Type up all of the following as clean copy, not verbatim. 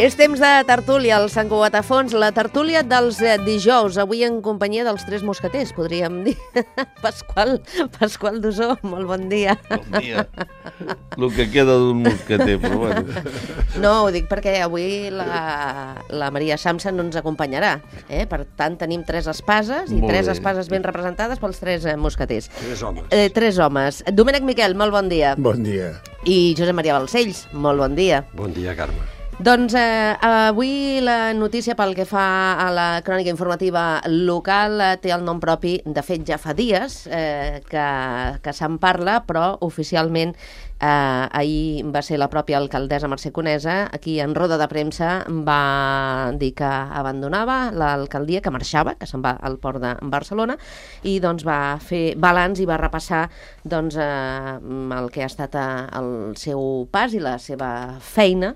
És temps de tertúlia al Sant Cugat a Fons, la tertúlia dels dijous, avui en companyia dels tres mosqueters, podríem dir. Pasqual Dusó, molt bon dia. Bon dia. El que queda d'un mosqueter, però bueno. No, ho dic perquè avui la Maria Samsa no ens acompanyarà. Per tant, tenim tres espases i tres espases ben representades pels tres mosqueters. Tres homes. Tres homes. Domènec Miquel, molt bon dia. Bon dia. I Josep Maria Balcells, molt bon dia. Bon dia, Carme. Doncs avui la notícia pel que fa a la crònica informativa local té el nom propi. De fet, ja fa dies que se'n parla, però oficialment ahir va ser la pròpia alcaldessa Mercè Conesa, aquí en roda de premsa va dir que abandonava l'alcaldia, que marxava, que se'n va al port de Barcelona, i doncs va fer balanç i va repassar doncs, el que ha estat el seu pas i la seva feina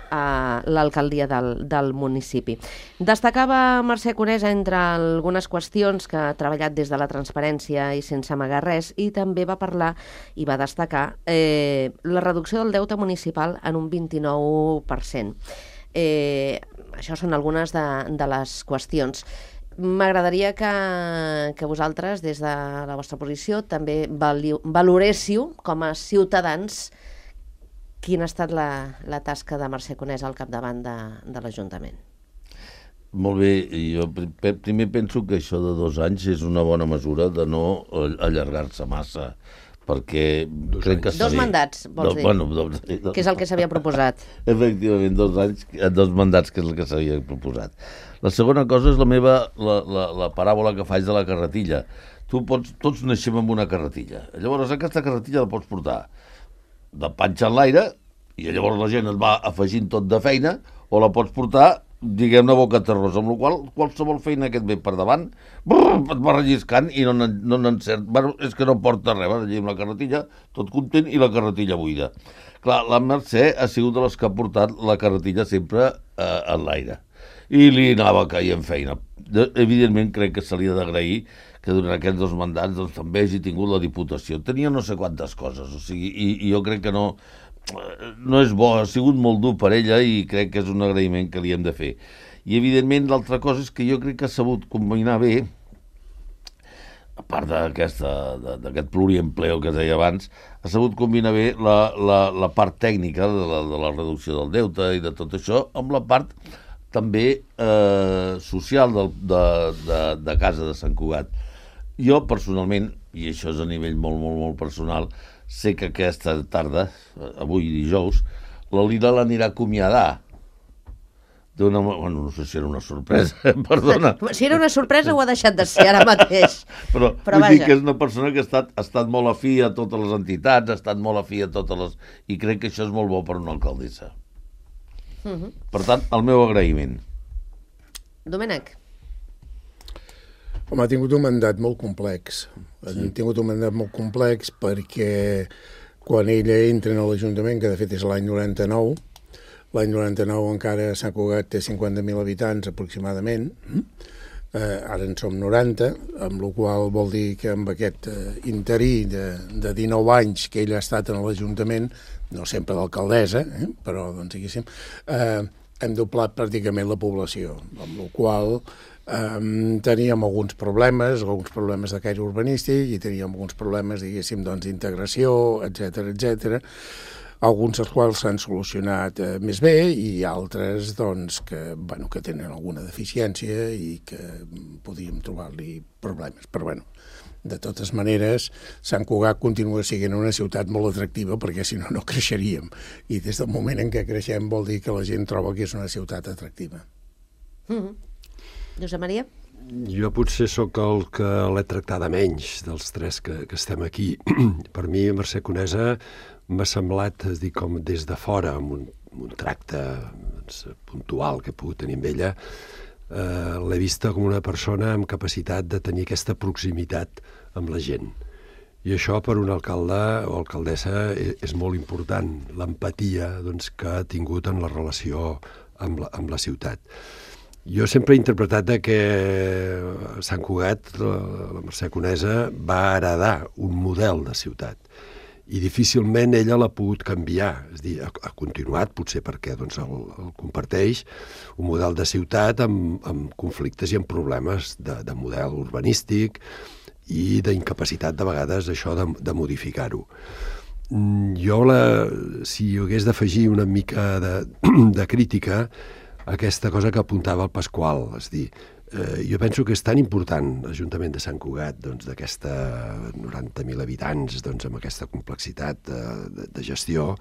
a l'alcaldia del municipi. Destacava Mercè Conesa entre algunes qüestions que ha treballat des de la transparència i sense amagar res, i també va parlar i va destacar la reducció del deute municipal en un 29%. Això són algunes de les qüestions. M'agradaria que vosaltres, des de la vostra posició, també valoréssiu com a ciutadans quina ha estat la tasca de Mercè Conesa al capdavant de l'Ajuntament. Molt bé, jo primer penso que això de 2 anys és una bona mesura de no allargar-se massa, perquè crec que... 2 mandats, vols dir? Bueno, que és el que s'havia proposat. Efectivament, 2 anys, 2 mandats, que és el que s'havia proposat. La segona cosa és la paràbola que faig de la carretilla. Tots naixem amb una carretilla. Llavors, aquesta carretilla la pots portar de panxa en l'aire, i llavors la gent et va afegint tot de feina, o la pots portar, diguem-ne, boca terrosa, amb la qual qualsevol feina que et ve per davant et va relliscant i no n'encert. Bueno, és que no porta res, allà amb la carretilla, tot content, i la carretilla buida. Clar, la Mercè ha sigut de les que ha portat la carretilla sempre en l'aire, i li anava caient feina. Evidentment, crec que se li ha d'agrair que durant aquests 2 mandats doncs, també hagi tingut la Diputació. Tenia no sé quantes coses, o sigui, i jo crec que no és bo, ha sigut molt dur per ella, i crec que és un agraïment que li hem de fer. I evidentment l'altra cosa és que jo crec que ha sabut combinar bé, a part d'aquest pluriempleo que es deia abans, ha sabut combinar bé la part tècnica de la reducció del deute i de tot això, amb la part també social de casa de Sant Cugat. Jo, personalment, i això és a nivell molt, molt, molt personal, sé que aquesta tarda, avui dijous, la Lila l'anirà a acomiadar. Bueno, no sé si era una sorpresa, perdona. Si era una sorpresa ho ha deixat de ser ara mateix. Però vull dir que és una persona que ha estat molt afí a totes les entitats, ha estat molt afí a totes les... I crec que això és molt bo per una alcaldessa. Per tant, el meu agraïment. Domènec. Home, ha tingut un mandat molt complex. Ha tingut un mandat molt complex perquè quan ella entra a l'Ajuntament, que de fet és l'any 99, l'any 99 encara Sant Cugat té 50.000 habitants aproximadament, ara en som 90, amb la qual vol dir que amb aquest interí de 19 anys que ella ha estat en l'Ajuntament, no sempre d'alcaldessa, però doncs diguéssim, hem doblat pràcticament la població, amb la qual teníem alguns problemes de caire urbanístic, i teníem alguns problemes, diguéssim, d'integració, etc, alguns dels quals s'han solucionat més bé, i altres doncs, que tenen alguna deficiència i que podríem trobar-li problemes. Però de totes maneres, Sant Cugat continua sent una ciutat molt atractiva, perquè si no, no creixeríem. I des del moment en què creixem vol dir que la gent troba que és una ciutat atractiva. Josep Maria? Jo potser sóc el que l'he tractada menys dels tres que estem aquí. Per mi, Mercè Conesa m'ha semblat, com des de fora, amb un tracte puntual que he pogut tenir amb ella, l'he vista com una persona amb capacitat de tenir aquesta proximitat amb la gent. I això per un alcalde o alcaldessa és molt important, l'empatia que ha tingut en la relació amb la ciutat. Jo sempre he interpretat que Sant Cugat, la Mercè Conesa, va heredar un model de ciutat. i difícilment ella l'ha pogut canviar. És a dir, ha continuat, potser perquè doncs, el comparteix, un model de ciutat amb conflictes i amb problemes de model urbanístic i d'incapacitat, de vegades, això de modificar-ho. Jo, si hi hagués d'afegir una mica de crítica, aquesta cosa que apuntava el Pasqual, és a dir, jo penso que és tan important l'Ajuntament de Sant Cugat, doncs, d'aquesta 90.000 habitants, doncs, amb aquesta complexitat de gestió,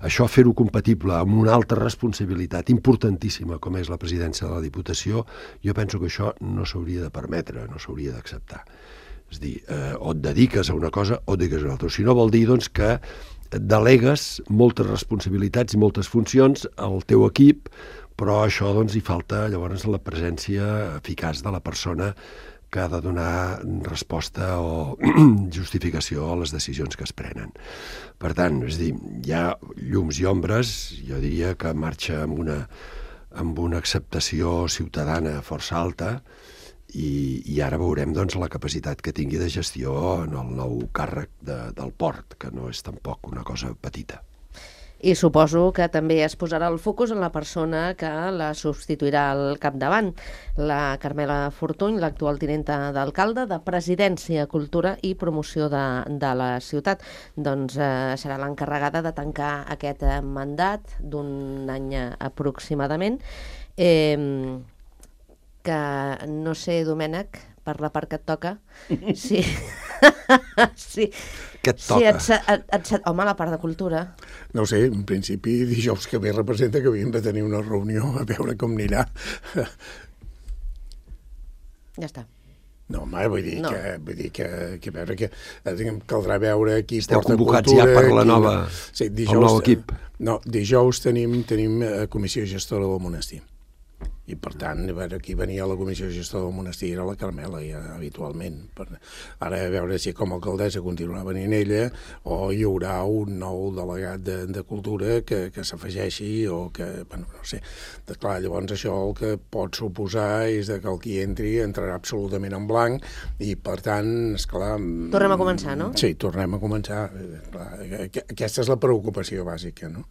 això fer-ho compatible amb una altra responsabilitat importantíssima com és la presidència de la Diputació, jo penso que això no s'hauria de permetre, no s'hauria d'acceptar. És a dir, o et dediques a una cosa o et dediques a una altra. Si no vol dir doncs, que delegues moltes responsabilitats i moltes funcions al teu equip, però això doncs, hi falta llavors la presència eficaç de la persona que ha de donar resposta o justificació a les decisions que es prenen. Per tant, és a dir, hi ha llums i ombres, jo diria que marxa amb una acceptació ciutadana força alta, i ara veurem doncs, la capacitat que tingui de gestió en el nou càrrec del port, que no és tampoc una cosa petita. I suposo que també es posarà el focus en la persona que la substituirà al capdavant, la Carmela Fortuny, l'actual tinenta d'alcalde de Presidència, Cultura i Promoció de la ciutat. Doncs serà l'encarregada de tancar aquest mandat d'un any aproximadament. Que no sé, Domènec, per la part que et toca, sí. Sí. Què et toca? Home, la part de cultura. No sé, en principi dijous que ve representa que havíem de tenir una reunió a veure com anirà. Ja està. No, home, vull dir que a veure que caldrà veure qui Esteu porta convocats cultura... ja per la nova, sí, el nou equip. No, dijous tenim comissió gestora del monestir. I, per tant, a veure, qui venia a la comissió gestora del monestir era la Carmela, ja, habitualment. Ara, a veure si com a alcaldessa continuarà venint ella o hi haurà un nou delegat de cultura que s'afegeixi o que, bueno, no sé. Clar, llavors això el que pot suposar és que el qui entri entrarà absolutament en blanc i, per tant, esclar... Tornem a començar, no? Sí, tornem a començar. Clar, aquesta és la preocupació bàsica, no?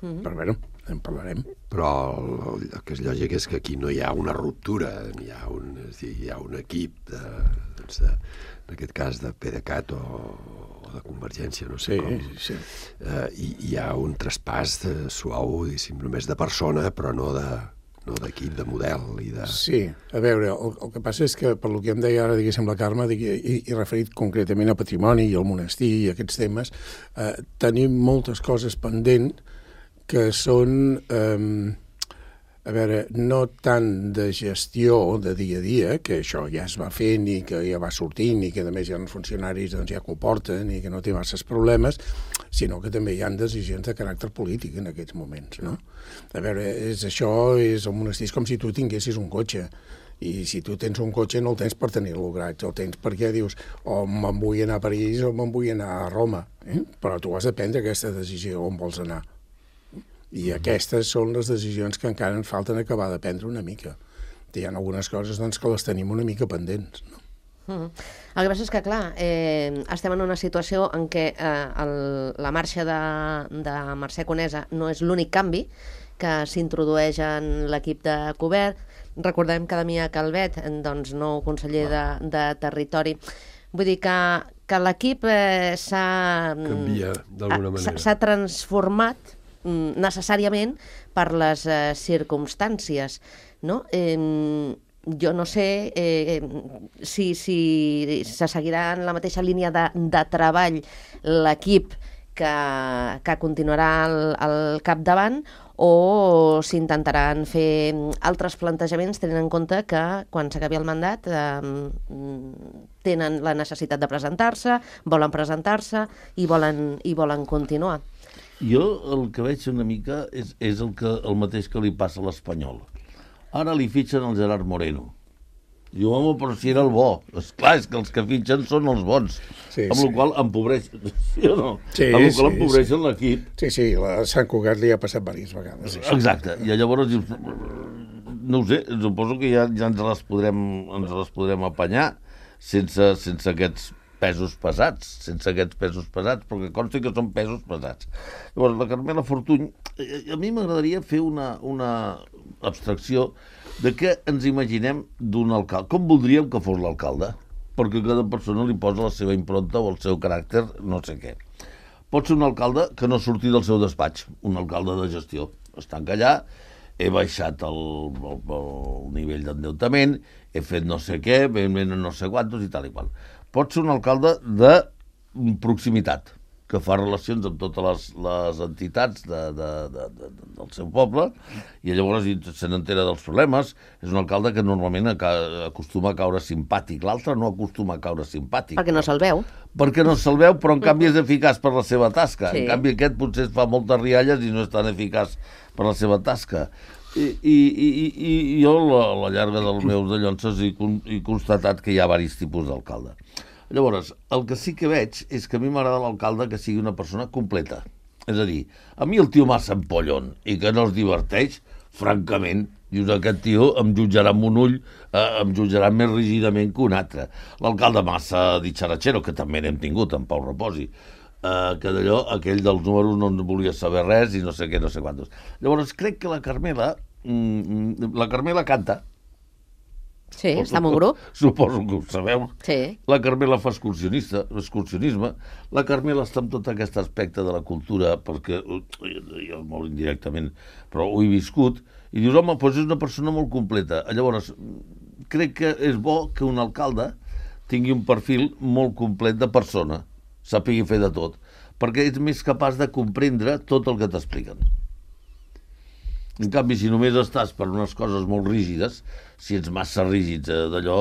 Però, bueno, en parlarem. Però el que és lògic és que aquí no hi ha una ruptura, hi ha un equip, en aquest cas de PDeCAT o de Convergència, no sé com. Sí. I hi ha un traspàs suau, només de persona, però no d'equip, de model. Sí, a veure, el que passa és que, per lo que em deia ara, diguéssim, la Carme, i referit concretament a patrimoni i al monestir i aquests temes, tenim moltes coses pendents que són, a veure, no tant de gestió de dia a dia, que això ja es va fent i que ja va sortint i que a més hi ha funcionaris doncs, ja que ho porten i que no té masses problemes, sinó que també hi ha decisions de caràcter polític en aquests moments, no? A veure, el monestir és com si tu tinguessis un cotxe. I si tu tens un cotxe no el tens per tenir-lo gratis, el tens perquè dius o me'n vull anar a París o me'n vull anar a Roma, però tu has de prendre aquesta decisió on vols anar. I aquestes són les decisions que encara ens falten acabar de prendre una mica. Hi ha algunes coses doncs, que les tenim una mica pendents, no? El que passa és que, clar, estem en una situació en què la marxa de Mercè Conesa no és l'únic canvi que s'introdueix en l'equip de Cobert. Recordem que Damià Calvet, doncs, nou conseller de Territori. Vull dir que l'equip canvia d'alguna manera. S'ha transformat necessàriament per les circumstàncies, no? Jo no sé si se seguirà en la mateixa línia de treball l'equip que continuarà al capdavant o s'intentaran fer altres plantejaments tenint en compte que quan s'acabi el mandat tenen la necessitat de presentar-se, volen presentar-se i volen continuar. Jo el que veig una mica és el mateix que li passa a l'Espanyol. Ara li fitxen el Gerard Moreno. Diu, home, però si era el bo. Esclar, és que els que fitxen són els bons. Sí, amb la qual empobreixen, sí o no? Sí, amb la qual empobreixen l'equip. Sí, la Sant Cugat li ha passat diverses vegades. Exacte. I llavors dius, no ho sé, suposo que ja ens les podrem apanyar sense aquests pesos pesats, sense aquests pesos pesats, però que consti que són pesos pesats. Llavors, la Carmela Fortuny, a mi m'agradaria fer una abstracció de què ens imaginem d'un alcalde. Com voldríem que fos l'alcalde? Perquè cada persona li posa la seva impronta o el seu caràcter, no sé què. Pot ser un alcalde que no surti del seu despatx, un alcalde de gestió. Estanc allà, he baixat el nivell d'endeutament, he fet no sé què, venen no sé quantos i tal i qual. Pot ser un alcalde de proximitat, que fa relacions amb totes les entitats del seu poble i llavors se n'entera dels problemes. És un alcalde que normalment acostuma a caure simpàtic. L'altre no acostuma a caure simpàtic. Perquè no se'l veu. Perquè no se'l veu, però en canvi és eficaç per la seva tasca. Sí. En canvi aquest potser fa moltes rialles i no és tan eficaç per la seva tasca. I jo a la llarga dels meus dallonses he constatat que hi ha diversos tipus d'alcalde. Llavors, el que sí que veig és que a mi m'agrada l'alcalde que sigui una persona completa. És a dir, a mi el tio massa empollon i que no es diverteix, francament, dius, aquest tio em jutjarà amb un ull, em jutjarà més rígidament que un altre. L'alcalde massa ditxaratxero, que també n'hem tingut, en Pau Reposi, que d'allò, aquell dels números no en volia saber res i no sé què, no sé quantos. Llavors, crec que la Carmela canta. Sí, està en un grup. Suposo que ho sabeu. Sí. La Carmela fa excursionisme. La Carmela està en tot aquest aspecte de la cultura, perquè jo molt indirectament, però ho he viscut, i dius, home, doncs és una persona molt completa. Llavors, crec que és bo que un alcalde tingui un perfil molt complet de persona, sàpigui fer de tot, perquè ets més capaç de comprendre tot el que t'expliquen. En canvi, si només estàs per unes coses molt rígides, si ets massa rígids d'allò,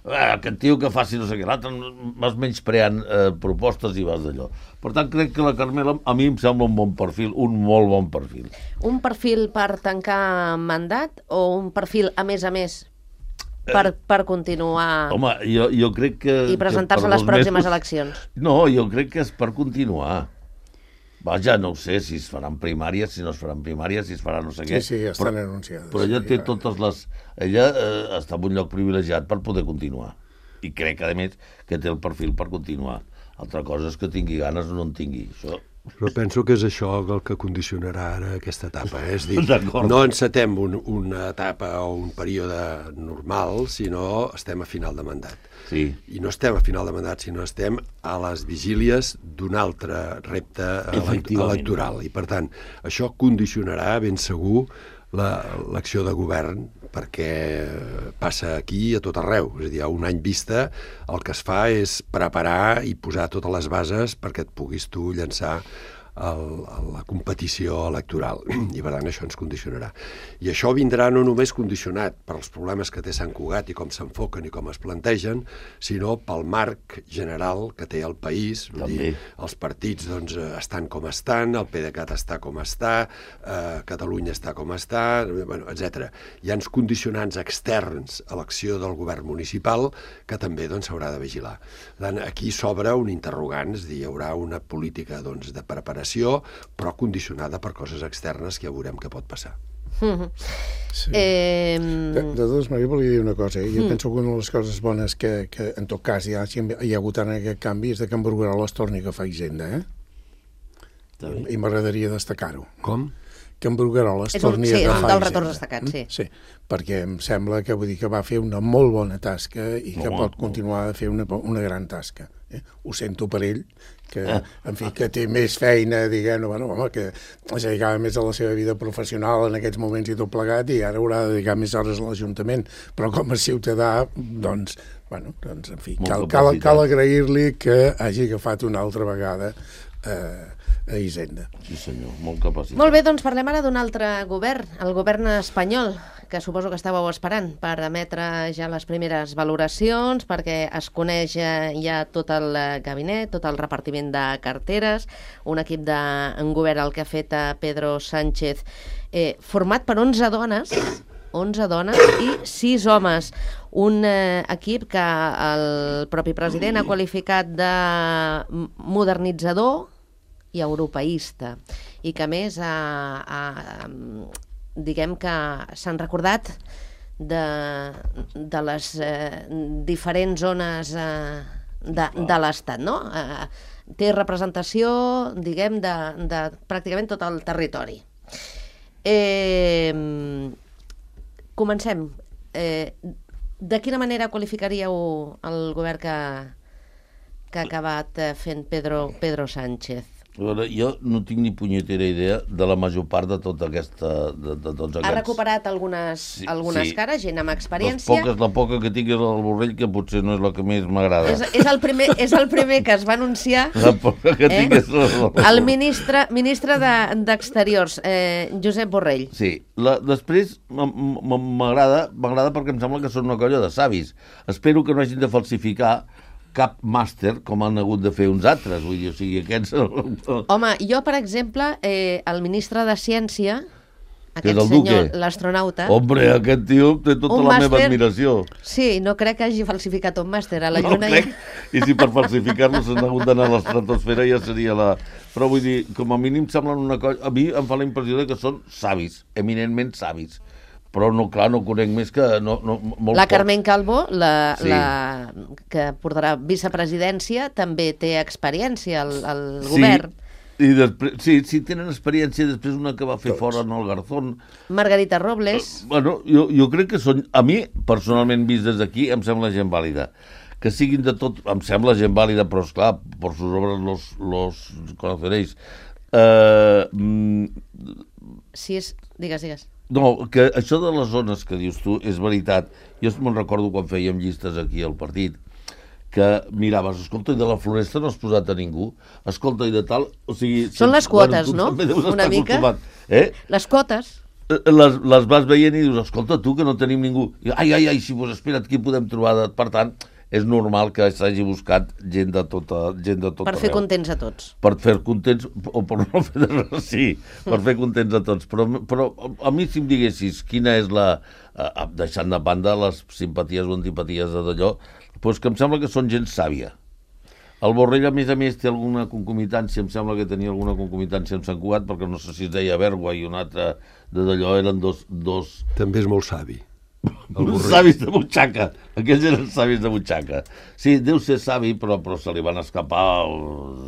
aquest tio que faci no sé què, l'altre vas menyspreant propostes i vas d'allò. Per tant, crec que la Carmela a mi em sembla un bon perfil, un molt bon perfil. Un perfil per tancar mandat o un perfil, a més, per continuar... Home, jo crec que... I presentar-se a les pròximes eleccions. No, jo crec que és per continuar. Vaja, no ho sé, si es faran primàries, si no es faran primàries, si es farà no sé què. Sí, estan anunciades. Però ella té totes les... Ella està en un lloc privilegiat per poder continuar. I crec, a més, que té el perfil per continuar. Altra cosa és que tingui ganes o no en tingui. Això... Però penso que és això el que condicionarà ara aquesta etapa. És dir, no encetem una etapa o un període normal, sinó estem a final de mandat. Sí. I no estem a final de mandat, sinó estem a les vigílies d'un altre repte electoral. I, per tant, això condicionarà ben segur l'acció de govern, perquè passa aquí a tot arreu. És a dir, a un any vista el que es fa és preparar i posar totes les bases perquè et puguis tu llançar a la competició electoral. I per tant això ens condicionarà. I això vindrà no només condicionat per als problemes que té Sant Cugat i com s'enfoquen i com es plantegen, sinó pel marc general que té el país. Vull dir, els partits doncs, estan com estan, el PDeCAT està com està, Catalunya està com està, etc. Hi ha uns condicionants externs a l'acció del govern municipal que també s'haurà de vigilar. Per tant, aquí s'obre un interrogant, és a dir, hi haurà una política de preparació, però condicionada per coses externes que ja veurem què pot passar. Sí. De totes maneres, volia dir una cosa. Jo penso que una de les coses bones que en tot cas hi ha hagut en aquest canvi és que en Bruguerol es torni a agafar Hisenda, I m'agradaria destacar-ho. Com? Que en Bruguerol es torni a agafar Hisenda. Sí, és un dels retorns destacats, sí. Sí, perquè em sembla que va fer una molt bona tasca i que pot continuar a fer una gran tasca. Ho sento per ell, que, en fi, que té més feina, diguem, que es dedicava més a la seva vida professional en aquests moments i tot plegat, i ara haurà de dedicar més hores a l'Ajuntament. Però com a ciutadà, en fi, cal agrair-li que hagi agafat una altra vegada a Hisenda. Sí, senyor, molt capacitat. Molt bé, doncs parlem ara d'un altre govern, el govern espanyol, que suposo que estàveu esperant per emetre ja les primeres valoracions, perquè es coneix ja tot el gabinet, tot el repartiment de carteres, un equip de govern el que ha fet Pedro Sánchez, format per 11 dones i 6 homes. Un equip que el propi president ha qualificat de modernitzador i europeista, i que a més diguem que s'han recordat de les diferents zones de l'Estat, no? Té representació, diguem, de pràcticament tot el territori. Comencem. De quina manera qualificaríeu el govern que ha acabat fent Pedro Sánchez? A veure, jo no tinc ni punyetera idea de la major part de tota aquesta... De tots aquests... Ha recuperat algunes cares, gent amb experiència. La poca que tinc és el Borrell, que potser no és la que més m'agrada. És el primer que es va anunciar. La poca que tinc és... El ministre d'Exteriors, Josep Borrell. Sí. Després m'agrada perquè em sembla que són una colla de savis. Espero que no hagin de falsificar cap màster com han hagut de fer uns altres, vull dir, o sigui, aquests... Home, jo, per exemple, el ministre de Ciència, aquest senyor, Duque, l'astronauta... Hombre, aquest tio té tota la meva admiració. Sí, no crec que hagi falsificat un màster a la Lluna. No crec, i si per falsificar-lo s'han hagut d'anar a l'estratosfera ja seria la... Però vull dir, com a mínim semblen una cosa... A mi em fa la impressió que són savis, eminentment savis. Però no, clar, no conec més que... molt la Carmen Calvo, que portarà vicepresidència, també té experiència al govern. I després, sí, tenen experiència. Després una que va fer fora en el Garzón. Margarita Robles. Bueno, jo crec que són... A mi, personalment, vist des d'aquí, em sembla gent vàlida. Que siguin de tot... Em sembla gent vàlida, però, esclar, per sus obres los conoceréis. Sí, digues. No, que això de les zones que dius tu és veritat. Jo me'n recordo quan fèiem llistes aquí al partit, que miraves, escolta, i de la Floresta no has posat a ningú, escolta, i de tal... O sigui, són les quotes, no? Una mica. Les quotes. Les vas veient i dius, escolta, tu, que no tenim ningú. I, ai, si vos espera't, qui podem trobar? Per tant, és normal que s'hagi buscat gent de tot per fer contents a tots. Per fer contents, o per no fer res, sí, per fer contents a tots. Però a mi, si em diguessis quina és la... deixant de banda les simpaties o antipaties d'allò, doncs que em sembla que són gent sàvia. El Borrell, a més, té alguna concomitància, em sembla que tenia alguna concomitància amb Sant Cugat, perquè no sé si es deia Bergua i un altre de d'allò, eren dos... També és molt savi. Savis de butxaca. Aquells eren savis de butxaca. Sí, deu ser savi, però se li van escapar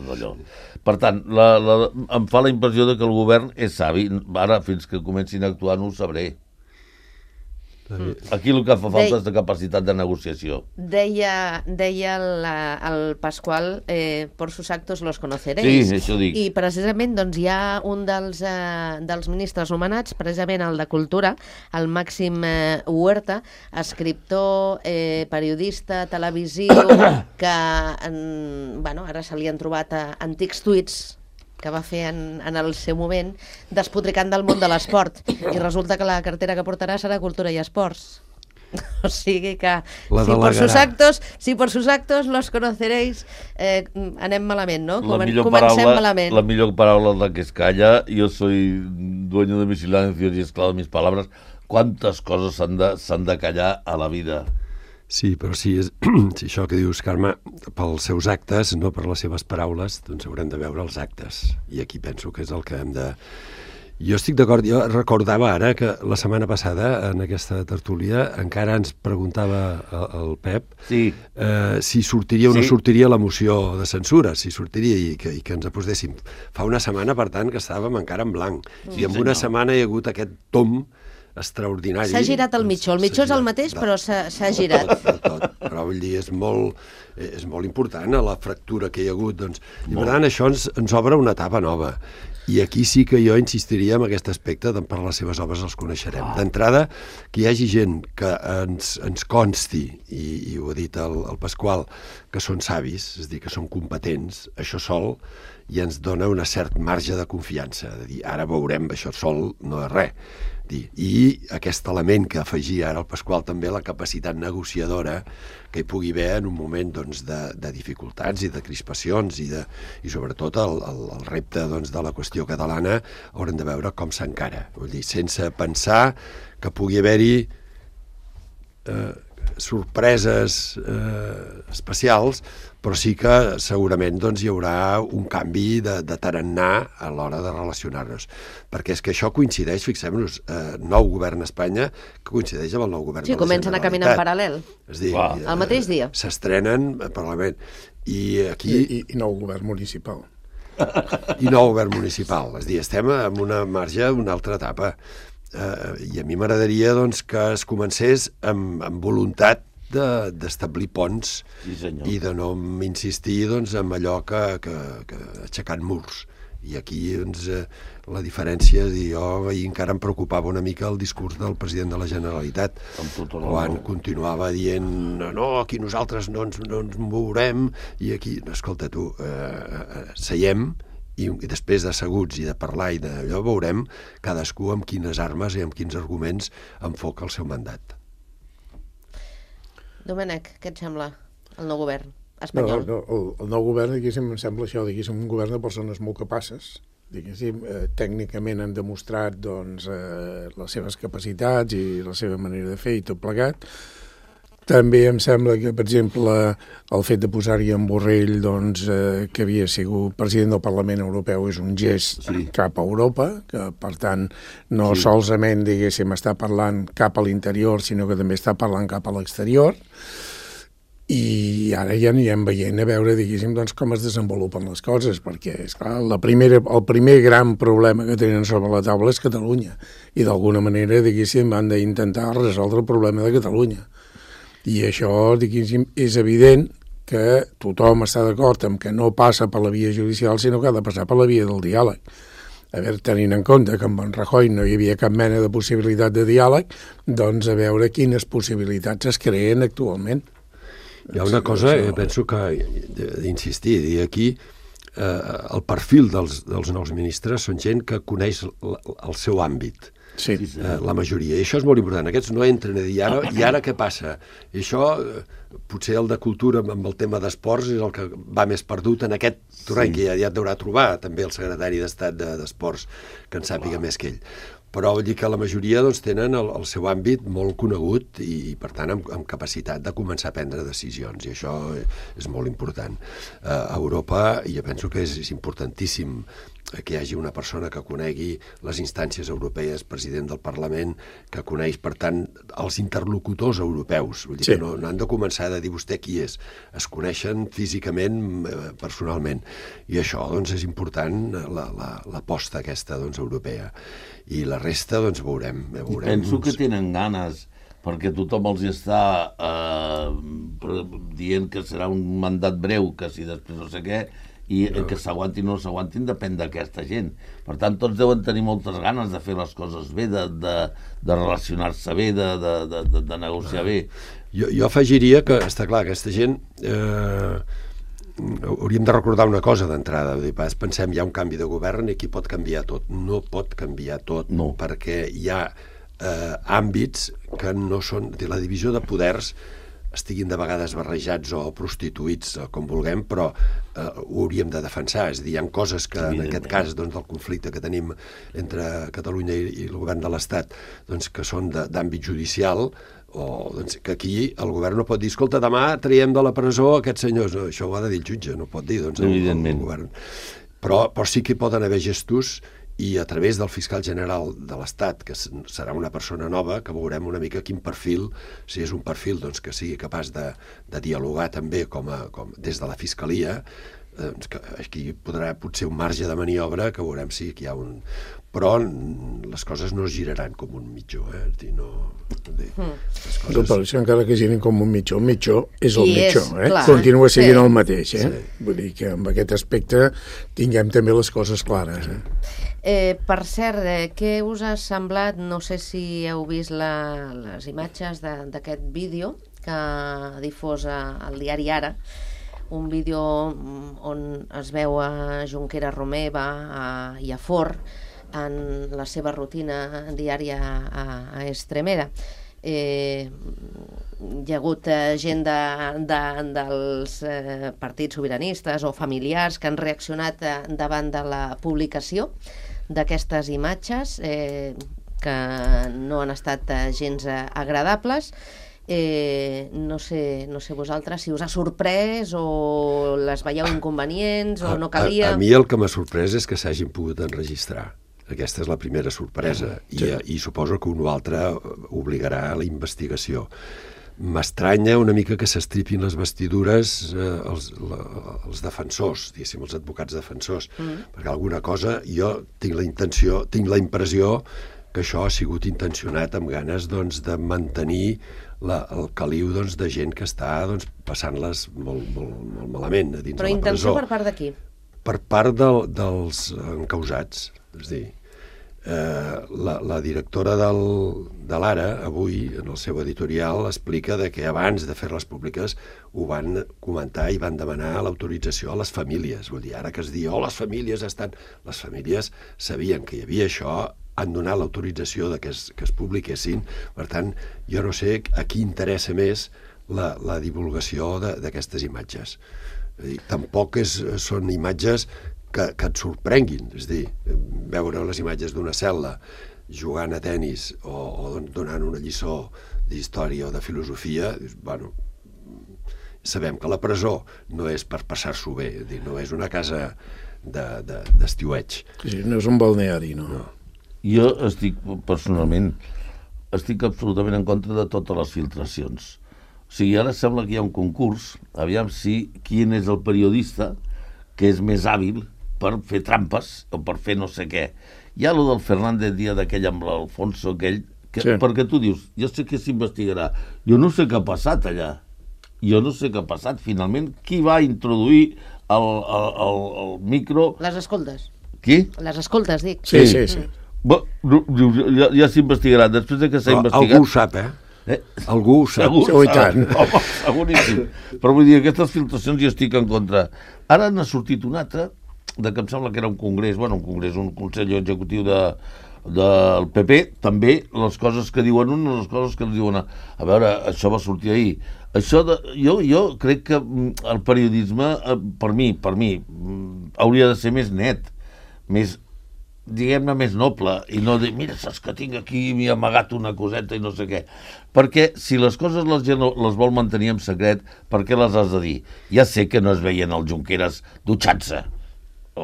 d'allò. Per tant, em fa la impressió que el govern és savi. Ara, fins que comencin a actuar, no ho sabré. Aquí el que fa falta és de capacitat de negociació. Deia el Pasqual, por sus actos los conoceréis. Sí, això dic. I precisament doncs, hi ha un dels ministres nomenats, precisament el de Cultura, el Màxim Huerta, escriptor, periodista, televisiu, que ara se li han trobat antics tuits que va fer en el seu moment, despotricant del món de l'esport. I resulta que la cartera que portarà serà Cultura i Esports. O sigui que si por sus actos los conoceréis, anem malament, no? Comencem malament. La millor paraula és la que es calla. Jo soy dueño de mi silencio y esclavo de mis palabras. Quantes coses s'han de callar a la vida. Sí, però si això que dius, Carme, pels seus actes, no per les seves paraules, doncs haurem de veure els actes. I aquí penso que és el que hem de... Jo estic d'acord, jo recordava ara que la setmana passada, en aquesta tertúlia, encara ens preguntava el Pep si sortiria o no sortiria la moció de censura, si sortiria i que ens aposéssim. Fa una setmana, per tant, que estàvem encara en blanc. I en una setmana hi ha hagut aquest tom extraordinari. S'ha girat el mitjó. El mitjó és el mateix, però s'ha girat. Però vull dir, és molt important la fractura que hi ha hagut. I per tant, això ens obre una etapa nova. I aquí sí que jo insistiria en aquest aspecte, per les seves obres els coneixerem. D'entrada, que hi hagi gent que ens consti, i ho ha dit el Pasqual, que són savis, és a dir, que són competents, això sol ja ens dona un cert marge de confiança, de dir, ara veurem, això sol no és res. I aquest element que afegia ara el Pasqual també, la capacitat negociadora que hi pugui haver en un moment de dificultats i de crispacions i sobretot el repte de la qüestió catalana haurem de veure com s'encara, vull dir, sense pensar que pugui haver-hi sorpreses especials, però sí que segurament doncs, hi haurà un canvi de tarannà a l'hora de relacionar-nos. Perquè és que això coincideix, fixem-nos, nou govern a Espanya que coincideix amb el nou govern de la Generalitat. Sí, comencen a caminar en paral·lel. És dir, el mateix dia. S'estrenen al Parlament. I aquí... I nou govern municipal. I nou govern municipal. És dir, estem en una marge, una altra etapa. I a mi m'agradaria doncs, que es comencés amb voluntat d'establir ponts i de no insistir doncs, en allò que aixecant murs. I aquí doncs, la diferència, jo ahir encara em preocupava una mica el discurs del president de la Generalitat, quan continuava dient no, aquí nosaltres no ens mourem, i aquí, escolta tu, seiem, i després d'asseguts i de parlar i d'allò veurem cadascú amb quines armes i amb quins arguments enfoca el seu mandat. Domènec, què et sembla el nou govern espanyol? No, el nou govern, diguéssim, em sembla això, diguéssim, un govern de persones molt capaces, diguéssim, tècnicament han demostrat doncs, les seves capacitats i la seva manera de fer i tot plegat. També em sembla que, per exemple, el fet de posar-hi en Borrell, doncs, que havia sigut president del Parlament Europeu, és un gest cap a Europa, que, per tant, no solament, diguéssim, està parlant cap a l'interior, sinó que també està parlant cap a l'exterior. I ara ja anirem veient a veure, diguéssim, doncs, com es desenvolupen les coses, perquè, esclar, el primer gran problema que tenen sobre la taula és Catalunya, i d'alguna manera, diguéssim, han d'intentar resoldre el problema de Catalunya. I això, diguéssim, és evident que tothom està d'acord amb que no passa per la via judicial, sinó que ha de passar per la via del diàleg. A veure, tenint en compte que amb en Rajoy no hi havia cap mena de possibilitat de diàleg, doncs a veure quines possibilitats es creen actualment. Hi ha una cosa, penso que d'insistir, dir aquí, el perfil dels nous ministres són gent que coneix el seu àmbit. Sí. La majoria, i això és molt important. Aquests no entren a dir, i ara què passa? I això, potser el de cultura amb el tema d'esports és el que va més perdut en aquest terreny, que ja et deurà trobar també el secretari d'Estat d'Esports, que en sàpiga més que ell. Però vull dir que la majoria doncs, tenen el seu àmbit molt conegut i per tant, amb capacitat de començar a prendre decisions, i això és molt important. A Europa, jo penso que és importantíssim que hi hagi una persona que conegui les instàncies europees, president del Parlament, que coneix, per tant, els interlocutors europeus. Vull dir que no han de començar a dir vostè qui és. Es coneixen físicament, personalment. I això, doncs, és important, l'aposta aquesta, doncs, europea. I la resta, doncs, veurem. Penso que tenen ganes, perquè tothom els està dient que serà un mandat breu, que si després no sé què, i que s'aguantin o no s'aguantin depèn d'aquesta gent. Per tant, tots deuen tenir moltes ganes de fer les coses bé, de relacionar-se bé, de negociar bé. Jo afegiria que, està clar, aquesta gent... hauríem de recordar una cosa d'entrada. Pensem, hi ha un canvi de govern i aquí pot canviar tot. No pot canviar tot, perquè hi ha àmbits que no són... La divisió de poders estiguin de vegades barrejats o prostituïts, com vulguem, però ho hauríem de defensar. És a dir, hi ha coses que, en aquest cas, doncs, del conflicte que tenim entre Catalunya i el govern de l'Estat, doncs, que són d'àmbit judicial, o doncs, que aquí el govern no pot dir, escolta, demà traiem de la presó aquests senyors. No, això ho ha de dir el jutge, no pot dir, doncs, el govern. Però sí que poden haver gestos, i a través del fiscal general de l'Estat, que serà una persona nova, que veurem una mica quin perfil, si és un perfil doncs, que sigui capaç de dialogar també des de la fiscalia, que aquí podrà potser un marge de maniobra, que veurem si hi ha un... Però les coses no giraran com un mitjó, No, per això encara que girin com un mitjó és el mitjó, clar, continua sent el mateix, Vull dir que amb aquest aspecte tinguem també les coses clares, Per cert, què us ha semblat, no sé si heu vist les imatges d'aquest vídeo que difosa el diari Ara, un vídeo on es veu a Junqueras Romeva i a Forn en la seva rutina diària a Extremera. Hi ha hagut gent dels partits sobiranistes o familiars que han reaccionat davant de la publicació d'aquestes imatges que no han estat gens agradables, No sé vosaltres si us ha sorprès o les veieu inconvenients o no calia. A mi el que m'ha sorprès és que s'hagin pogut enregistrar. Aquesta és la primera sorpresa i suposo que un o altre obligarà a la investigació. M'estranya una mica que s'estripin les vestidures els defensors, diguéssim, els advocats defensors, perquè alguna cosa jo tinc la impressió que això ha sigut intencionat amb ganes doncs, de mantenir el caliu doncs, de gent que està doncs, passant-les molt, molt malament a dins de la presó. Però intenció per part de qui? Per part dels encausats. És a dir, la directora de l'Ara, avui, en el seu editorial, explica que abans de fer-les públiques ho van comentar i van demanar l'autorització a les famílies. Vull dir, ara que es diu, les famílies estan... Les famílies sabien que hi havia això, han donat l'autorització que es publiquessin. Per tant, jo no sé a qui interessa més la divulgació d'aquestes imatges. Tampoc són imatges que et sorprenguin, és a dir, veure les imatges d'una cel·la jugant a tenis o donant una lliçó d'història o de filosofia, bueno, sabem que la presó no és per passar-s'ho bé, és dir, no és una casa d'estiueig. Sí, no és un balneari, no. Jo personalment, estic absolutament en contra de totes les filtracions. O sigui, ara sembla que hi ha un concurs, aviam quin és el periodista que és més hàbil per fer trampes o per fer no sé què. Hi ha allò del Fernández Díaz d'aquell amb l'Alfonso aquell, perquè tu dius, jo sé que s'investigarà, jo no sé què ha passat allà, jo no sé què ha passat, finalment, qui va introduir el micro... Les escoltes. Qui? Les escoltes, dic. Sí. Ja s'investigarà, després de que s'ha investigat... Algú ho sap, Algú ho sap. Segur, i tant. Home, seguríssim. Però vull dir, aquestes filtracions jo estic en contra. Ara n'ha sortit una altra, que em sembla que era un congrés, un consell executiu del PP, també les coses que diuen un, les coses que diuen a veure, això va sortir ahir. Jo crec que el periodisme, per mi, hauria de ser més net, més, diguem-ne, més noble, i no dir, mira, saps que tinc aquí, m'hi ha amagat una coseta i no sé què. Perquè si les coses la gent les vol mantenir en secret, per què les has de dir? Ja sé que no es veien els Junqueras dutxant-se, o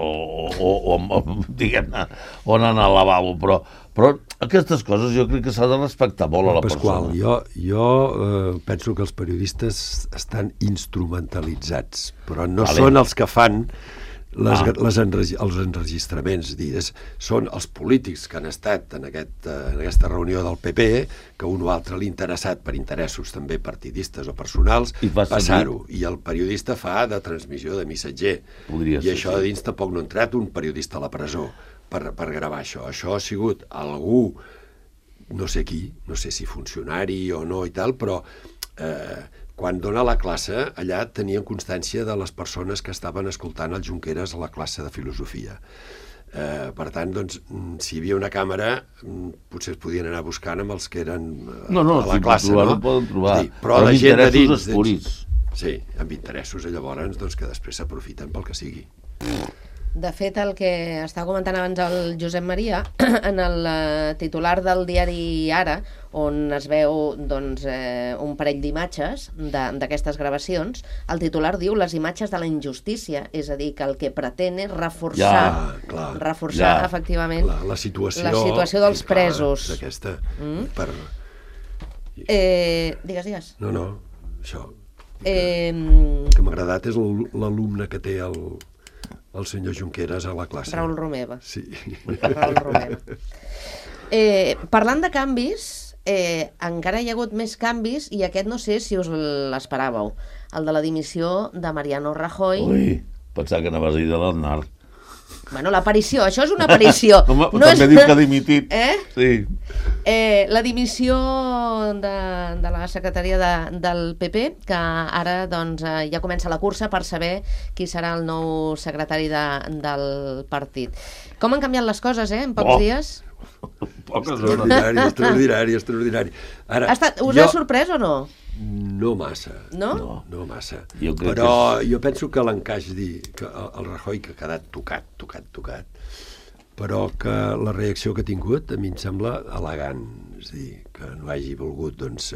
diguem-ne, o anant al lavabo, però aquestes coses jo crec que s'ha de respectar molt a la persona. Pasqual, jo penso que els periodistes estan instrumentalitzats, però no són els que fan els enregistraments. Són els polítics que han estat en aquesta reunió del PP, que un o altre l'ha interessat per interessos també partidistes o personals, passar-ho. I el periodista fa de transmissió de missatger. I això a dins tampoc no ha entrat un periodista a la presó per gravar això. Això ha sigut algú, no sé qui, no sé si funcionari o no i tal, però quan dona la classe, allà tenien constància de les persones que estaven escoltant el Junqueras a la classe de filosofia. Per tant, doncs, si hi havia una càmera, potser es podien anar buscant amb els que eren a la classe, no? No poden trobar, però la gent de dins... escurits. Sí, amb interessos, llavors, doncs, que després s'aprofiten pel que sigui. De fet, el que estava comentant abans el Josep Maria, en el titular del diari Ara, on es veu doncs, un parell d'imatges d'aquestes gravacions, el titular diu les imatges de la injustícia, és a dir, que el que pretén és reforçar efectivament la situació dels presos. Digues. No, això. Que m'ha agradat és l'alumne que té el senyor Junqueras a la classe. Raül Romeva. Sí. Raül Romeva. Parlant de canvis, encara hi ha hagut més canvis i aquest no sé si us l'esperàveu. El de la dimissió de Mariano Rajoy. Ui, pensava que anaves a dir de l'Aznar. Bueno, l'aparició, això és una aparició. També diu que ha dimitit. Sí. La dimissió de la secretaria del PP, que ara doncs, ja comença la cursa per saber qui serà el nou secretari del partit. Com han canviat les coses, en pocs dies? Poques hores. Extraordinari. Ara, us ha sorprès o no? No massa. No? No massa. Però jo penso que l'encaix que el Rajoy, que ha quedat tocat, però que la reacció que ha tingut a mi em sembla elegant. És a dir, que no hagi volgut doncs,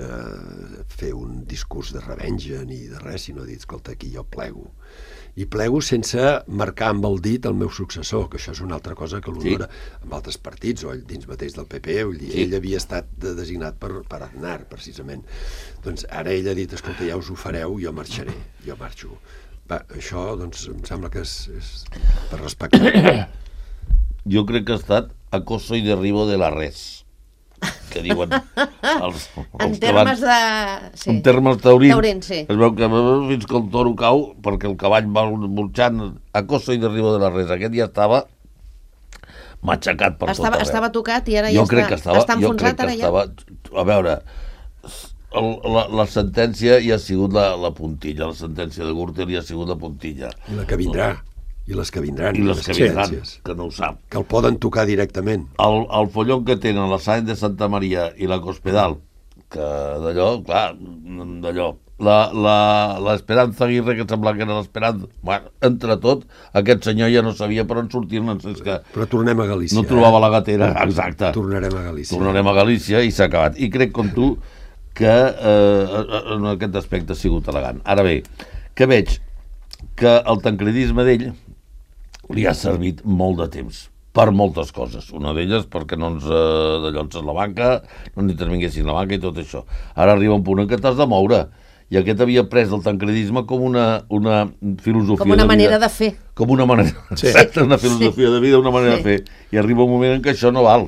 fer un discurs de revenja ni de res, sinó dir, escolta, aquí jo plego. I plego sense marcar amb el dit el meu successor, que això és una altra cosa que l'honora amb altres partits, o ell dins mateix del PP, ell havia estat designat per Aznar, precisament. Doncs ara ell ha dit, escolta, ja us ho fareu, jo marxaré, jo marxo. Va, això, doncs, em sembla que és per respectar. Jo crec que ha estat acoso y derribo de la res, que diuen els en termes de... Sí. En termes taurins, sí. Es veu que fins que el toro cau, perquè el cavall va burxant, acoso y derribo de la res. Aquest ja estava matxacat per tot arreu. Estava tocat i ara ja està enfonsat, ara ja. A veure, la sentència ja ha sigut la puntilla, la sentència de Gürtel ja ha sigut la puntilla. I la que vindrà. I les que vindran. I les que vindran, que no ho sap. Que el poden tocar directament. El follon que tenen la Sáenz de Santa Maria i la Cospedal, que d'allò, clar, d'allò, l'Esperanza Aguirre, que sembla que era l'Esperanza, bueno, entre tot, aquest senyor ja no sabia per on sortir-ne. Però tornem a Galícia. No trobava la gatera, exacte. Tornarem a Galícia. Tornarem a Galícia i s'ha acabat. I crec, com tu, que en aquest aspecte ha sigut elegant. Ara bé, que veig que el tancredisme d'ell li ha servit molt de temps per moltes coses. Una d'elles perquè no ens dallonses la banca, no ens intervinguessin la banca i tot això. Ara arriba un punt en què t'has de moure. I aquest havia pres el tancredisme com una filosofia de vida. Com una manera de fer. Com una manera... Sí. Exacte, una filosofia de vida, una manera de fer. I arriba un moment en què això no val.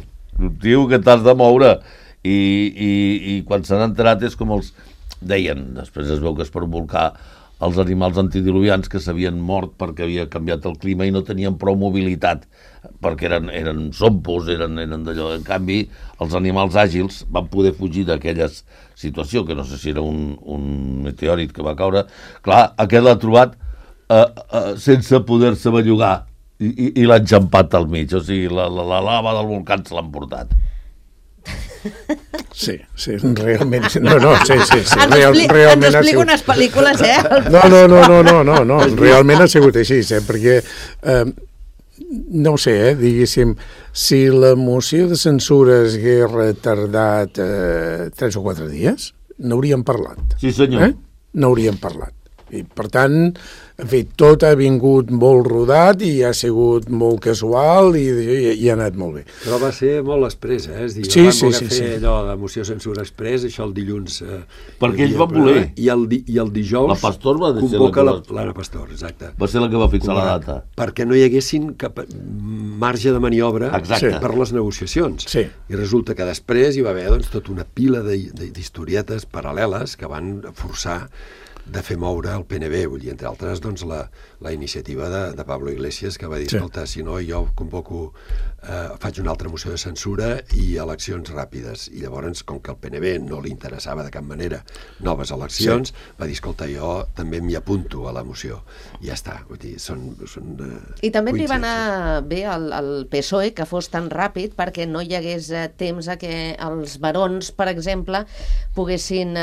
Diu que t'has de moure. I quan s'han enterat és com els deien, després es veu que és per un volcà, els animals antidiluvians que s'havien mort perquè havia canviat el clima i no tenien prou mobilitat, perquè eren zompos, eren d'allò. En canvi, els animals àgils van poder fugir d'aquella situació, que no sé si era un meteòrit que va caure. Clar, aquest l'ha trobat sense poder-se bellugar i l'ha enxampat al mig, o sigui, la lava del volcà se l'han portat. Sí, realment... No, sí. Ens explica unes pel·lícules, No, realment ha sigut així, perquè, no ho sé, diguéssim, si la moció de censura hagués retardat 3 o 4 dies, n'hauríem parlat. Sí, senyor. N'hauríem parlat. I, per tant, en fi, tot ha vingut molt rodat i ha sigut molt casual i ha anat molt bé. Però va ser molt express, És dir, sí. fer allò de moció censura express, això el dilluns... perquè ells van voler. I el dijous... La Pastor va ser l'Anna Pastor, exacte. Va ser la que va fixar la data. Perquè no hi haguessin cap marge de maniobra per les negociacions. Sí. I resulta que després hi va haver tota una pila d'historietes paral·leles que van forçar de fer moure el PNB, vull dir, entre altres, doncs, la iniciativa de Pablo Iglesias, que va dir, escolta, si no, jo convoco, faig una altra moció de censura i eleccions ràpides. I llavors, com que al PNB no li interessava de cap manera noves eleccions, va dir, escolta, jo també m'hi apunto a la moció. I ja està, vull dir, són I també li va anar bé al PSOE que fos tan ràpid perquè no hi hagués temps a que els barons, per exemple, poguessin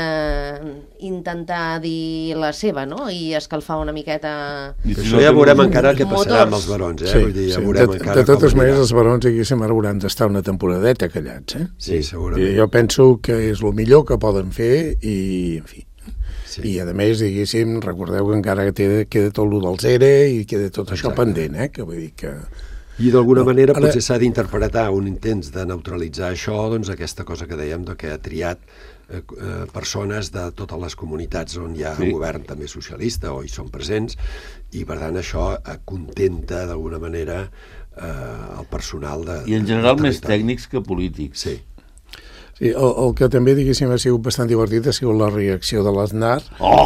intentar dir la seva, no? I escalfar una miqueta... Això ja veurem encara què passarà amb els barons, Vull dir, ja veurem encara de totes maneres, els barons aquí hauran d'estar una temporadeta callats, Sí, segurament. Jo penso que és el millor que poden fer i, en fi... Sí. I, a més, diguéssim, recordeu que encara queda tot el del ERE i queda tot això pendent, que vull dir que... I d'alguna manera potser s'ha d'interpretar un intent de neutralitzar això, doncs aquesta cosa que dèiem, que ha triat persones de totes les comunitats on hi ha un govern també socialista o hi són presents, i per tant això contenta d'alguna manera el personal de... I en general més tècnics que polítics. Sí. Sí, el que també, diguéssim, ha sigut bastant divertit ha sigut la reacció de l'Aznar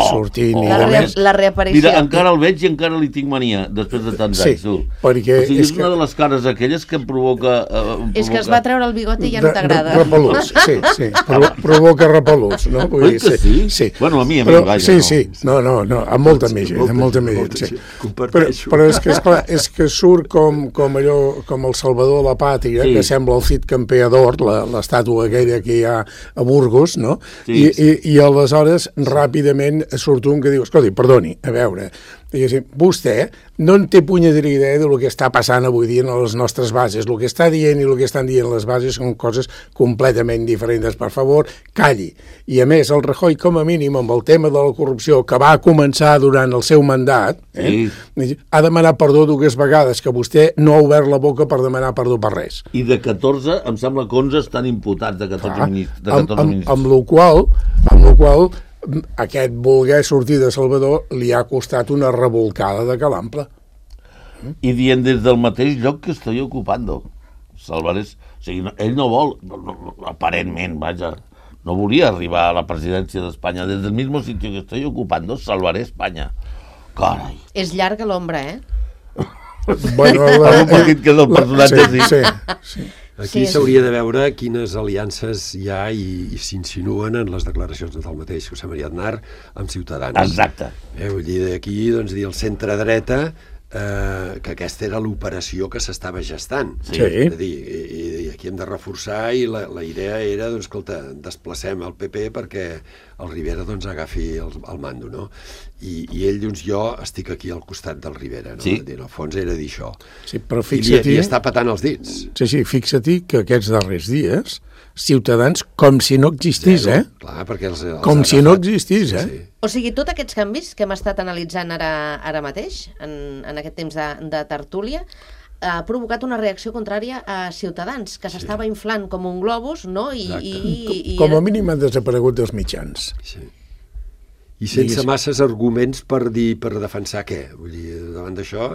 sortint i de més. La reaparició. Mira, encara el veig i encara li tinc mania després de tants anys, tu. Perquè o sigui, és una de les cares aquelles que provoca... És que es va treure el bigoti i ja no t'agrada. Repel·luts, sí. Provoca repel·luts, no? Oi que sí? Sí. Bueno, a mi, vaja. Sí. No, amb molta més gent, sí. Però és que, esclar, és que surt com allò, com el Salvador de la Pàtria, que sembla el Cid Campeador, l'estàtua aquella que hi ha a Burgos, no? I aleshores ràpidament surt un que diu, escolti, perdoni, a veure, Diguéssim, vostè no en té punyetera idea del que està passant avui dia a les nostres bases. El que està dient i el que estan dient les bases són coses completament diferents. Per favor, calli. I a més, el Rajoy, com a mínim, amb el tema de la corrupció que va començar durant el seu mandat, ha demanat perdó dues vegades, que vostè no ha obert la boca per demanar perdó per res. I de 14, em sembla que 11 estan imputats de 14 ministres. Amb la qual aquest voler sortir de Salvador li ha costat una revolcada de calample. I dient des del mateix lloc que estoy ocupando. Salvarés... O sigui, ell no vol, aparentment, vaja, no volia arribar a la presidència d'Espanya. Des del mismo sitio que estoy ocupando, salvaré Espanya. Carai. És llarga l'ombra, Bueno, algun petit que és el personatge, sí. Aquí s'hauria de veure quines aliances hi ha i s'insinuen en les declaracions del mateix José María Aznar amb Ciutadans. Exacte. Vull dir, d'aquí, doncs, dir el centre-dreta, que aquesta era l'operació que s'estava gestant. Sí. És a dir, i aquí hem de reforçar, i la idea era, doncs, escolta, desplacem el PP perquè el Rivera, doncs, agafi el mando, no? I ell, doncs, jo estic aquí al costat del Rivera, no? Sí. En el fons era dir això. Sí, però fixa't-hi... I està patant els dits. Sí, fixa't-hi que aquests darrers dies Ciutadans com si no existís, Clar, perquè els com si no existís, Sí. O sigui, tots aquests canvis que hem estat analitzant ara mateix, en aquest temps de tertúlia, ha provocat una reacció contrària a Ciutadans, que s'estava inflant com un globus, no? Com a mínim han desaparegut dels mitjans. Sí. I sense masses arguments per defensar què? Vull dir, davant d'això,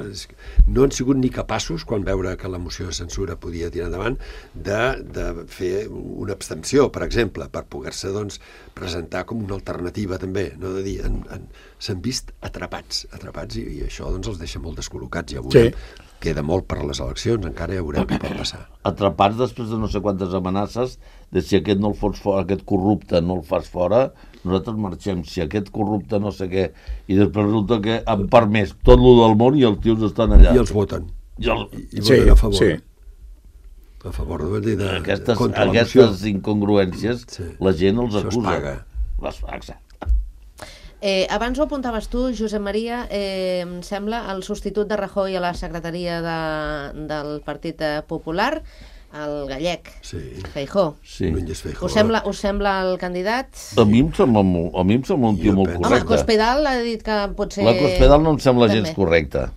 no han sigut ni capaços, quan veure que la moció de censura podia tirar endavant, de fer una abstenció, per exemple, per poder-se, doncs, presentar com una alternativa, també, no? De dir, s'han vist atrapats, i això, doncs, els deixa molt descol·locats, ja veurem. Sí. Queda molt per a les eleccions, encara ja veurem què pot passar. Atrapats després de no sé quantes amenaces de si aquest no el fots fora, aquest corrupte no el fas fora, nosaltres marxem, si aquest corrupte no sé què, i després resulta que han permès tot el del món i els tios estan allà. I els voten. I voten a favor. Sí. A favor de aquestes incongruències, la gent els acusa. Les paga. Abans ho apuntaves tu, Josep Maria, em sembla, el substitut de Rajoy a la secretaria del Partit Popular, el gallec, Feijóo. Sí. Us sembla el candidat? A mi em sembla un tio molt correcte. Home, Cospedal ha dit que pot ser... La Cospedal no em sembla gens correcta.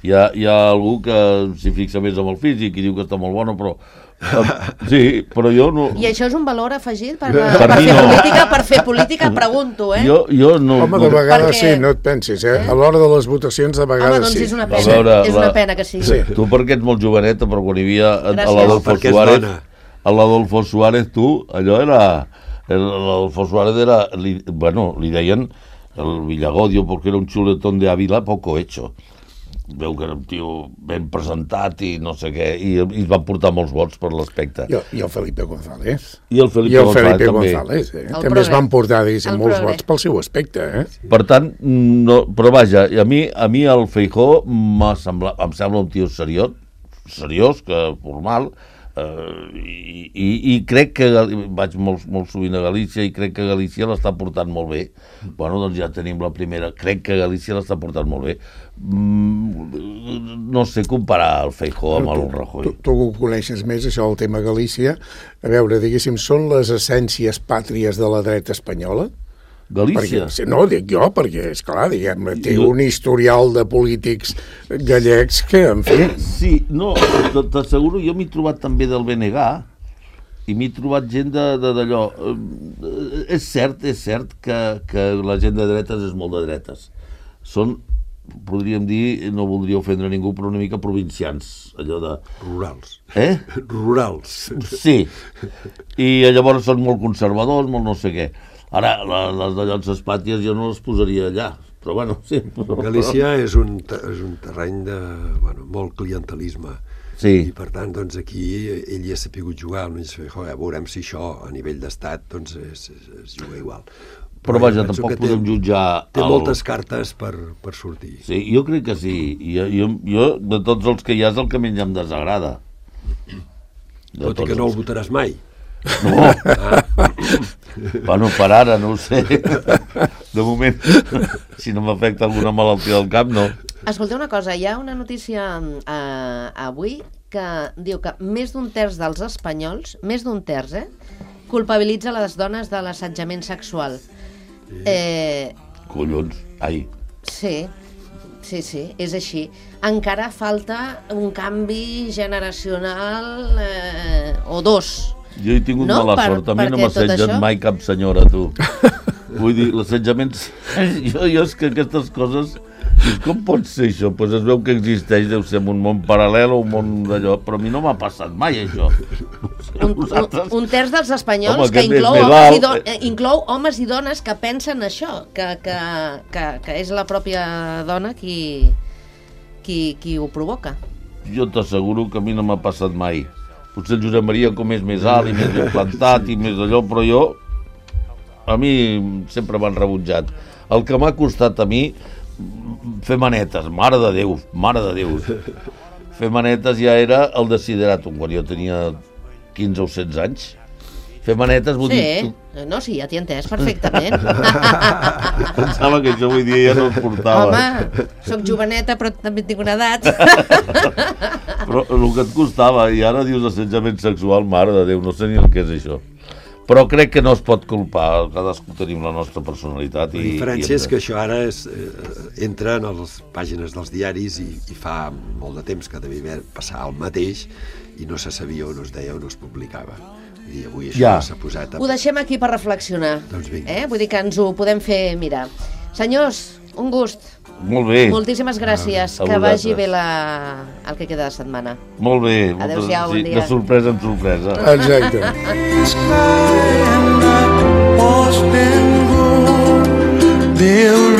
Hi ha algú que s'hi fixa més amb el físic i diu que està molt bona, però... Sí, però jo no... I això és un valor afegit per fer política, pregunto, Jo no... Home, de vegades sí, no et pensis, A l'hora de les votacions, de vegades sí. Home, doncs és una pena, és una pena que sí. Tu perquè ets molt joveneta, però quan hi havia l'Adolfo Suárez, tu, allò era... L'Adolfo Suárez era... Bueno, li deien el Villagodio, perquè era un xuletón de Ávila poco hecho. Veu que era un tio ben presentat i no sé què, i es van portar molts vots per l'aspecte. I el Felipe González. I el Felipe González també es van portar, diguéssim, molts vots pel seu aspecte, Per tant, no, però vaja, a mi el Feijóo em sembla un tio seriós, formal, i crec que vaig molt sovint a Galícia i crec que Galícia l'està portant molt bé. Bueno, doncs ja tenim la primera. Crec que Galícia l'està portant molt bé. No sé comparar el Feijóo amb el Rajoy. Tu ho coneixes més, això, el tema Galícia. A veure, diguéssim, són les essències pàtries de la dreta espanyola? Galícia? No, dic jo, perquè, esclar, diguem, té un historial de polítics gallecs que, en fi... Sí, no, t'asseguro, jo m'he trobat també del BNG i m'he trobat gent d'allò... És cert que la gent de dretes és molt de dretes. Són, podríem dir, no voldria ofendre ningú, però una mica provincians, allò de... Rurals. Rurals. Sí. I llavors són molt conservadors, molt no sé què. Ara, les de Llotses Pàties jo no les posaria allà, però bueno, sí. Galícia és un terreny de molt clientelisme. Sí. I per tant, doncs aquí ell ja s'ha sapigut jugar, veurem si això a nivell d'estat doncs es juga igual. Però vaja, tampoc podem jutjar... Té moltes cartes per sortir. Sí, jo crec que sí. Jo, de tots els que hi ha, és el que menys em desagrada. Tot i que no el votaràs mai. No. Bueno, per ara, no ho sé. De moment, si no m'afecta alguna malaltia del cap, no. Escolteu una cosa, hi ha una notícia avui que diu que més d'un terç dels espanyols, més d'un terç, culpabilitza les dones de l'assetjament sexual. Collons, ai. Sí, és així. Encara falta un canvi generacional o dos. Jo he tingut mala sort, a mi no m'ha assetjat mai cap senyora, tu. Vull dir, l'assetjament... Jo és que aquestes coses... Com pot ser això? Pues es veu que existeix, deu ser un món paral·lel o un món d'allò, però a mi no m'ha passat mai, això. Un terç dels espanyols, home, que inclou homes i dones que pensen això, que és la pròpia dona qui ho provoca. Jo t'asseguro que a mi no m'ha passat mai. Potser el Josep Maria, com és més alt i més ben plantat i més allò, però jo... A mi sempre m'han rebutjat. El que m'ha costat a mi... fer manetes, mare de Déu. Fer manetes ja era el desideratum, quan jo tenia 15 o 16 anys. Fer manetes vull dir... No, sí, ja t'hi he entès perfectament. Pensava que això avui dia ja no es portava. Home, soc joveneta però també tinc una edat. Però el que et costava, i ara dius assetjament sexual, mare de Déu, no sé ni el que és això. Però crec que no es pot culpar, cadascú tenim la nostra personalitat. La diferència és que això ara entra en les pàgines dels diaris i fa molt de temps que devia passar el mateix i no se sabia on es deia o no es publicava. I avui això s'ha posat... Ho deixem aquí per reflexionar. Doncs vinga. Vull dir que ens ho podem fer mirar. Senyors, un gust. Molt bé. Moltíssimes gràcies. Que vagi bé el que queda de setmana. Molt bé. Adéu-siau, bon dia. De sorpresa en sorpresa. Exacte. Deus